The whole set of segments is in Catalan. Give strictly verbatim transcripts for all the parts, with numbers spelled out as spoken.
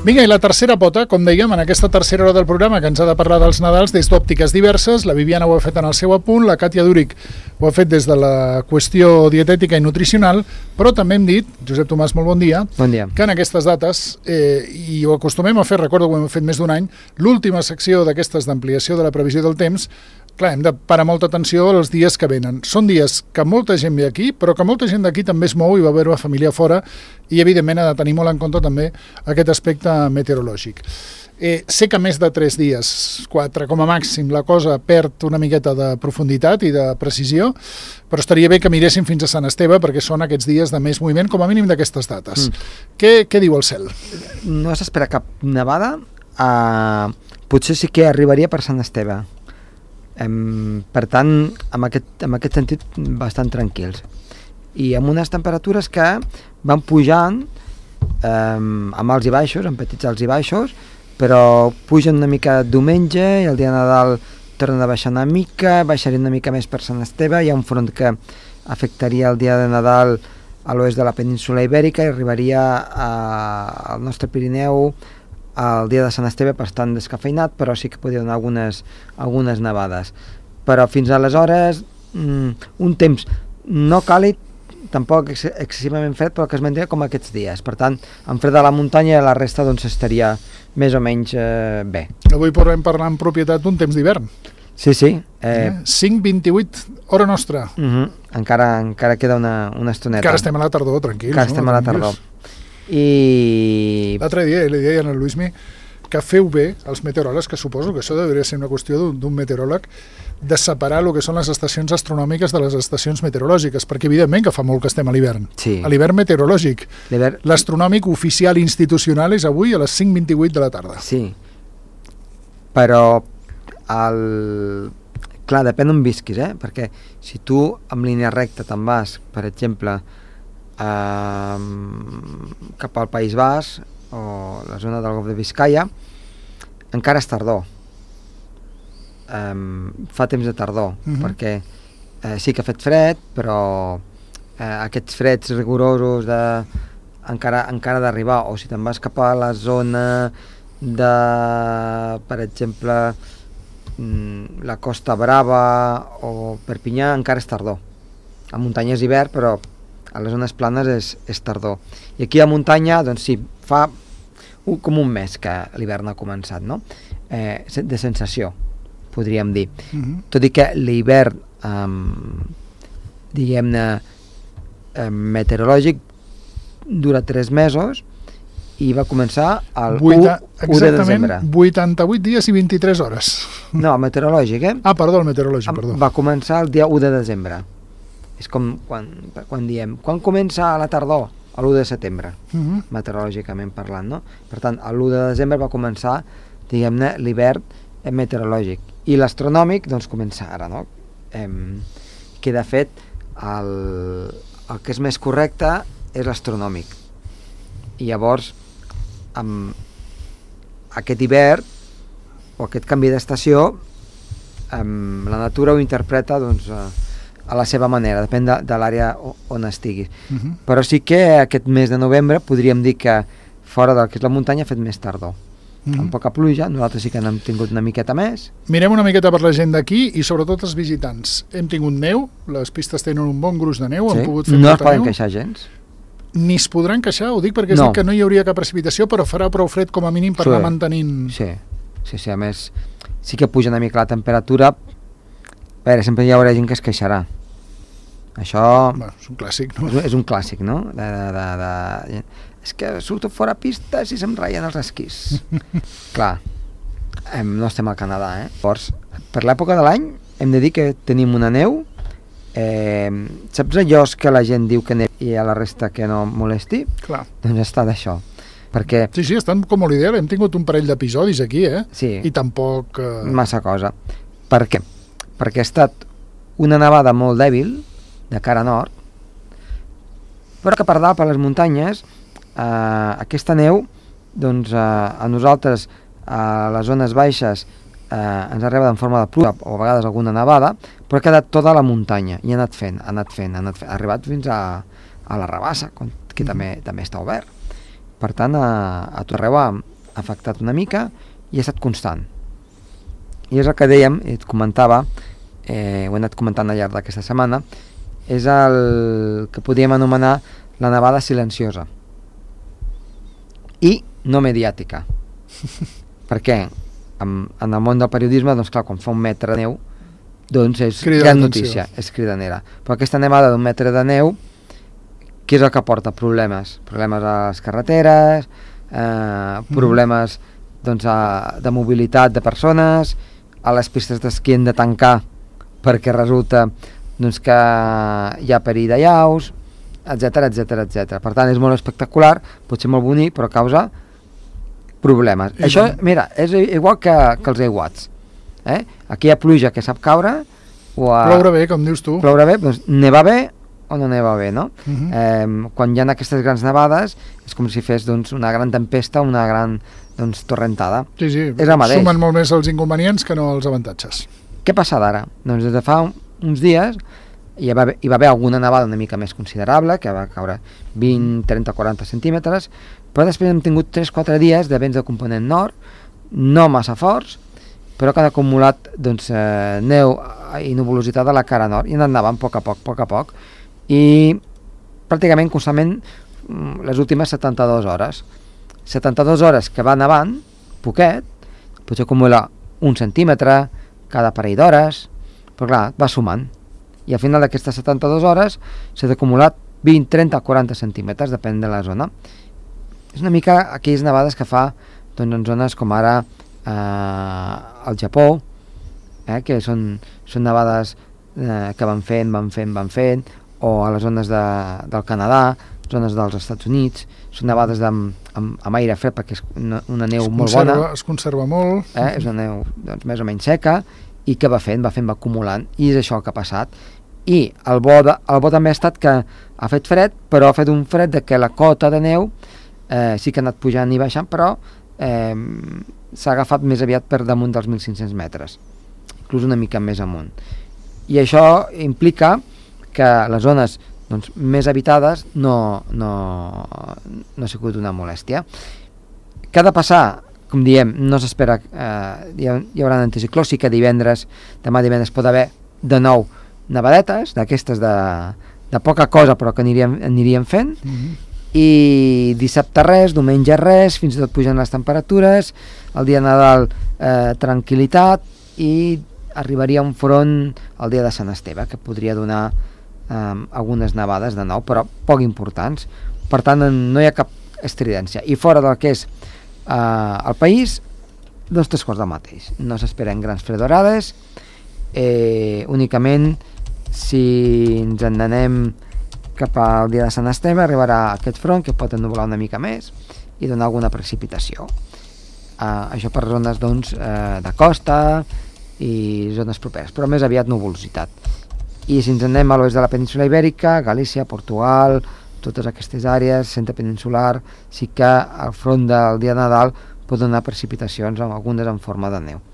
Vinga, i la tercera pota, com dèiem, en aquesta tercera hora del programa que ens ha de parlar dels Nadals des d'òptiques diverses, la Viviana ho ha fet en el seu apunt, la Càtia Dúric ho ha fet des de la qüestió dietètica i nutricional, però també hem dit, Josep Tomàs, molt bon dia, bon dia. que en aquestes dates, eh, i ho acostumem a fer, recordo que ho hem fet més d'un any, l'última secció d'aquestes d'ampliació de la previsió del temps, clar, hem de parar molta atenció als dies que venen. Són dies que molta gent ve aquí, però que molta gent d'aquí també es mou i va veure la família fora i, evidentment, ha de tenir molt en compte també aquest aspecte meteorològic. Eh, sé que més de tres dies, quatre com a màxim, la cosa perd una miqueta de profunditat i de precisió, però estaria bé que miréssim fins a Sant Esteve perquè són aquests dies de més moviment, com a mínim d'aquestes dates. Mm. Què, què diu el cel? No s'espera cap nevada, uh, potser sí que arribaria per Sant Esteve. Um, per tant, en aquest, en aquest sentit, bastant tranquils. I amb unes temperatures que van pujant um, amb alts i baixos, amb petits alts i baixos, però pugen una mica diumenge i el dia de Nadal tornen a baixar una mica, baixaria una mica més per Sant Esteve, hi ha un front que afectaria el dia de Nadal a l'oest de la península Ibèrica i arribaria a, al nostre Pirineu el dia de Sant Esteve bastant descafeinat, però sí que podria donar algunes, algunes nevades. Però fins aleshores, mm, un temps no càlid, tampoc ex excessivament fred, però que es mantenia com aquests dies. Per tant, en fred de la muntanya i la resta doncs, estaria més o menys eh, bé. Avui podrem parlar en propietat d'un temps d'hivern. Sí, sí. Eh, eh, cinc vint-i-vuit, hora nostra. Uh -huh. encara, encara queda una, una estoneta. Encara estem a la tardor, tranquils. Encara estem no? a la tardor. I... L'altre dia li deia a Luismi que feu bé els meteoròlegs, que suposo que això hauria ser una qüestió d'un meteoròleg, de separar el que són les estacions astronòmiques de les estacions meteorològiques, perquè evidentment que fa molt que estem a l'hivern. Sí. A l'hivern meteorològic. L'hivern... L'astronòmic oficial institucional és avui a les cinc vint-i-vuit de la tarda. Sí. Però el... clar, depèn on visquis, eh? Perquè si tu en línia recta te'n vas, per exemple, eh, cap al País Basc o la zona del Golf de Biscaia, encara és tardor. Um, fa temps de tardor, uh -huh. perquè eh, sí que ha fet fred, però eh, aquests freds rigorosos de, encara, encara d'arribar, o si te'n vas cap a la zona de, per exemple, mm, la Costa Brava o Perpinyà, encara és tardor. A muntanya és hivern, però a les zones planes és, és tardor. I aquí a muntanya, doncs sí, fa un, com un mes que l'hivern ha començat, no? Eh, de sensació, podríem dir. Uh-huh. Tot i que l'hivern, um, diguem-ne, eh, meteorològic, dura tres mesos i va començar el Vuita, u de desembre. Exactament, vuitanta-vuit dies i vint-i-tres hores. No, el meteorològic, eh? Ah, perdó, el meteorològic, perdó. Va començar el dia u de desembre. És com quan, quan diem, quan comença la tardor? l'u de setembre, uh-huh. meteorològicament parlant, no? Per tant, l'u de desembre va començar, diguem-ne, l'hivern meteorològic. I l'astronòmic, doncs, comença ara, no? Eh, que, de fet, el, el que és més correcte és l'astronòmic. I llavors, amb aquest hivern, o aquest canvi d'estació, eh, la natura ho interpreta, doncs, eh, a la seva manera, depèn de, de l'àrea on estiguis. Uh-huh. Però sí que aquest mes de novembre podríem dir que fora del que és la muntanya ha fet més tardor. Uh-huh. Amb poca pluja, nosaltres sí que n'hem tingut una miqueta més. Mirem una miqueta per la gent d'aquí i sobretot els visitants. Hem tingut neu, les pistes tenen un bon gruix de neu, sí. han pogut fer no molta es poden neu. queixar gens. Ni es podran queixar, ho dic perquè és no. dit que no hi hauria cap precipitació, però farà prou fred com a mínim per sí. anar mantenint... Sí. sí, sí, a més, sí que puja una mica la temperatura. A veure, sempre hi haurà gent que es queixarà. Això... Bueno, és un clàssic, no? És, és un clàssic, no? De, de, de, de... És que surto fora pistes i se'm ratllen els esquís. Clar, eh, no estem al Canadà, eh? Llavors, per l'època de l'any hem de dir que tenim una neu. Eh, saps allò que la gent diu que neu i a la resta que no molesti? Clar. Doncs està d'això. Perquè... Sí, sí, estan com a l'ideal. Hem tingut un parell d'episodis aquí, eh? Sí. I tampoc... Eh... Massa cosa. Per què? Perquè ha estat una nevada molt dèbil, de cara nord, però que per dalt, per les muntanyes, eh, aquesta neu, doncs eh, a nosaltres, a les zones baixes, eh, ens arriba en forma de pluja o a vegades alguna nevada, però ha quedat tota la muntanya i ha anat fent, ha anat fent, ha, anat fent, ha arribat fins a, a la Rabassa, que també, també està obert. Per tant, a, a tot arreu ha, afectat una mica i ha estat constant. I és el que dèiem, i et comentava, eh, ho he anat comentant al llarg d'aquesta setmana, és el que podríem anomenar la nevada silenciosa i no mediàtica. Per què? En, en el món del periodisme, doncs clar, quan fa un metre de neu, doncs és Crida gran l'atenció. notícia, és cridanera. Però aquesta nevada d'un metre de neu, què és el que porta? Problemes. Problemes a les carreteres, eh, problemes doncs, a, de mobilitat de persones, a les pistes d'esquí hem de tancar perquè resulta doncs, que hi ha perill de llaus, etcètera, etcètera, etcètera. Per tant, és molt espectacular, pot ser molt bonic, però causa problemes. I Això, tant. Mira, és igual que, que els aiguats. Eh? Aquí hi ha pluja que sap caure, o a... Ploure bé, com dius tu. Ploure bé, doncs neva bé o no neva bé, no? Uh -huh. eh, quan hi ha aquestes grans nevades, és com si fes doncs, una gran tempesta, una gran doncs, torrentada. Sí, sí, és el mateix. Sumen molt més els inconvenients que no els avantatges. Què passa d'ara? Doncs des de fa uns dies hi va, hi va haver alguna nevada una mica més considerable, que va caure vint, trenta, quaranta centímetres, però després hem tingut tres quatre dies de vents de component nord, no massa forts, però que han acumulat doncs, eh, neu i nuvolositat a la cara nord, i han anat nevant a poc a poc, a poc a poc, i pràcticament constantment les últimes setanta-dues hores. setanta-dues hores que va nevant, poquet, potser acumula un centímetre cada parell d'hores, però clar, va sumant. I al final d'aquestes setanta-dues hores s'ha acumulat vint, trenta, quaranta centímetres, depèn de la zona. És una mica aquelles nevades que fa doncs, en zones com ara eh, al Japó, eh, que són, són nevades eh, que van fent, van fent, van fent, o a les zones de, del Canadà, zones dels Estats Units, són nevades amb, amb, amb aire fred perquè és una, una neu es molt conserva, bona. Es conserva molt. Eh, és una neu doncs, més o menys seca, i que va fent, va fent, va acumulant, i és això el que ha passat. I el bo, de, el bo també ha estat que ha fet fred, però ha fet un fred de que la cota de neu eh, sí que ha anat pujant i baixant, però eh, s'ha agafat més aviat per damunt dels mil cinc-cents metres, inclús una mica més amunt. I això implica que les zones doncs, més habitades no, no, no ha sigut una molèstia. Què ha de passar? Com diem, no s'espera, eh, hi, ha, hi haurà un anticicló, sí que divendres, demà divendres pot haver de nou nevadetes, d'aquestes de, de poca cosa però que aniríem, aniríem fent, mm-hmm. i dissabte res, diumenge res, fins i tot pugen les temperatures, el dia de Nadal eh, tranquil·litat, i arribaria un front el dia de Sant Esteve, que podria donar eh, algunes nevades de nou, però poc importants. Per tant, no hi ha cap estridència. I fora del que és eh, el país, dos tres quarts del mateix. No s'esperen grans fredorades, eh, únicament si ens en anem cap al dia de Sant Esteve arribarà aquest front que pot ennublar una mica més i donar alguna precipitació. Uh, això per zones doncs, uh, de costa i zones properes, però més aviat nuvolositat. I si ens anem a l'oest de la península Ibèrica, Galícia, Portugal, totes aquestes àrees, centre peninsular, sí que al front del dia de Nadal pot donar precipitacions, algunes en forma de neu.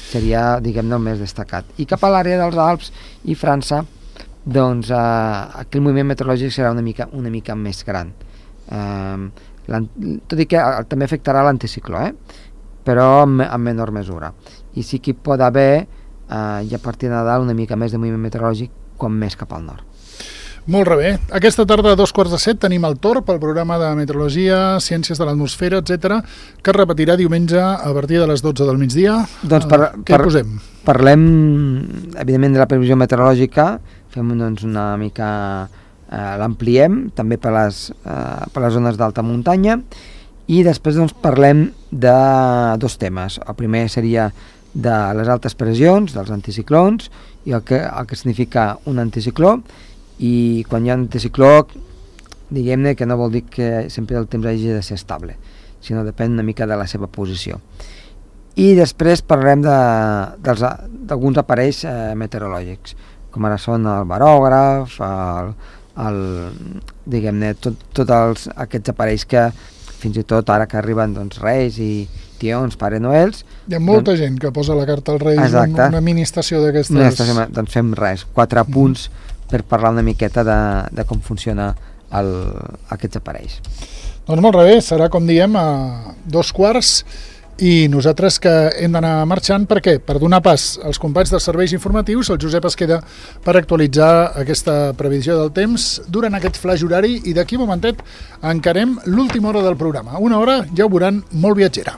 Seria, diguem-ne, el més destacat. I cap a l'àrea dels Alps i França, doncs eh, aquí el moviment meteorològic serà una mica, una mica més gran. Eh, tot i que també afectarà l'anticicló, eh? però en, en menor mesura. I sí que hi pot haver, eh, i a partir de Nadal, una mica més de moviment meteorològic, com més cap al nord. Molt bé. Aquesta tarda a dos quarts de set tenim el torn pel programa de meteorologia, ciències de l'atmosfera, etcètera, que es repetirà diumenge a partir de les dotze del migdia. Doncs per, uh, què per, hi posem? Parlem, evidentment, de la previsió meteorològica, fem doncs, una mica... Eh, l'ampliem també per les, eh, per les zones d'alta muntanya, i després doncs, parlem de dos temes. El primer seria de les altes pressions, dels anticiclons, i el que, el que significa un anticicló, i quan hi ha un anticicló, diguem-ne que no vol dir que sempre el temps hagi de ser estable, sinó depèn una mica de la seva posició. I després parlem d'alguns aparells eh, meteorològics, com ara són el barògraf, el, el, diguem-ne, tots tot els, aquests aparells que fins i tot ara que arriben doncs, Reis i Tions, Pare Noels... Hi ha molta doncs, gent que posa la carta als Reis, en una mini estació d'aquestes... Una estació, doncs fem res, quatre mm. punts per parlar una miqueta de, de com funciona el, aquests aparells. Doncs molt bé, serà com diem a dos quarts i nosaltres que hem d'anar marxant. Per què? Per donar pas als companys dels serveis informatius. El Josep es queda per actualitzar aquesta previsió del temps durant aquest flaix horari i d'aquí un momentet encarem l'última hora del programa. Una hora, ja ho veuran, molt viatgera.